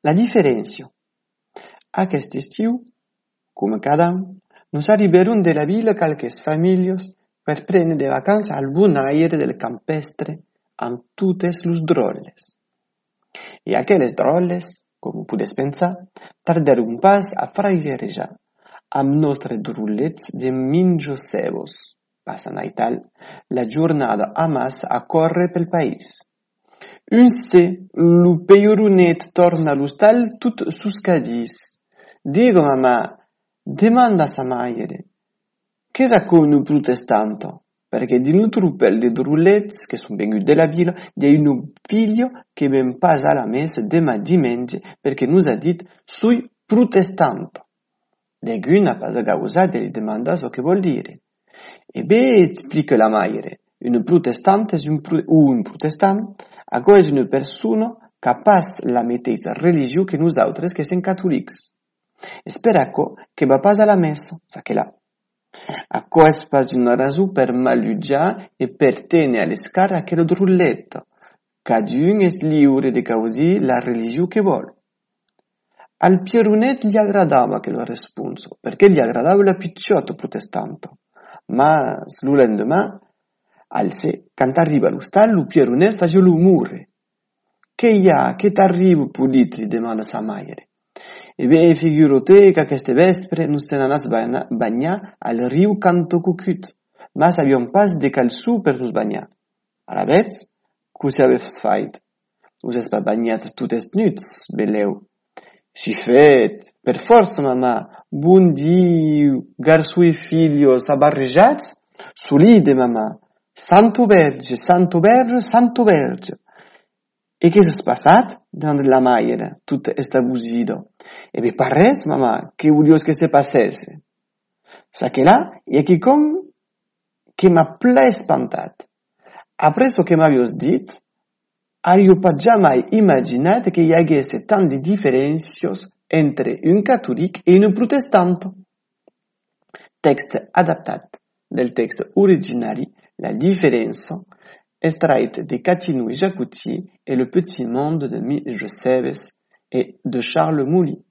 La diferència. Aquest estiu, com cada any, nos arribaron de la vila qualques famílies per prendre de vacances al bon aire del campestre amb totes les drolles. I aquelles drolles, com podes pensar, tardaron pas a frailejar amb nostres drullets de minjosevos, passant a tal la jornada a mas a córrer pel país. Un se, lo peiorunet torna all'hostal tot suscadís. Digo, mamà, demanda a sa madre, che sacco nu protestanto? Perché di un truppel di drullets che sono venuti della villa, di un figlio che ben passa alla messa dimenge perché nos ha dit sui protestanto. Legun n'a pas gausat e demanda so che vuol dire. E beh, explica la madre, un protestante è un protestant, ago és una persona capaç la mateixa religió que nosaltres que som catòlics. Espera que va pas a la messa, sa que là. Acò és pas una raó per malutjar e per tenir a l'escar aquell drullet. Cadun és lliure de causir la religió que vol. Al Pierunet gli agradava che lo responso, perché gli agradava la picciotto protestante. Ma lo lendemain, al se, quand arriva all'hostal, Pierunet faceva l'umore. Che hi ha? Che t'arrivo, Pulit? Li demanda sa madre. E beh, figurate che queste vespre nos se n'anàs bagnar al riu Canto Cucut, ma sabiam pas de calçú per nos bagnar. Ara vets, cosa aveves fait? Us has pas bagnat totes nuts, beleu. Si fet, per força, mamà, bon Diu, garçó i filhos abarrejats, solide, mamà. Santo Verge, Santo Verge, Santo Verge. E què s'ha passat? Demanda la mare, tot estabusida. E bé, pas res, mamà, que volios que se passesse? Sa que là, hi ha quelcom que m'ha ple espantat. Après ce que m'havies dit, ario pas jamais imaginat que hi hagués tant de diferències entre un catòlic i un protestant. Text adaptat del text originari, la différence extraite de Catinou et Jacouty et le petit monde de Migeseves et de Charles Mouly.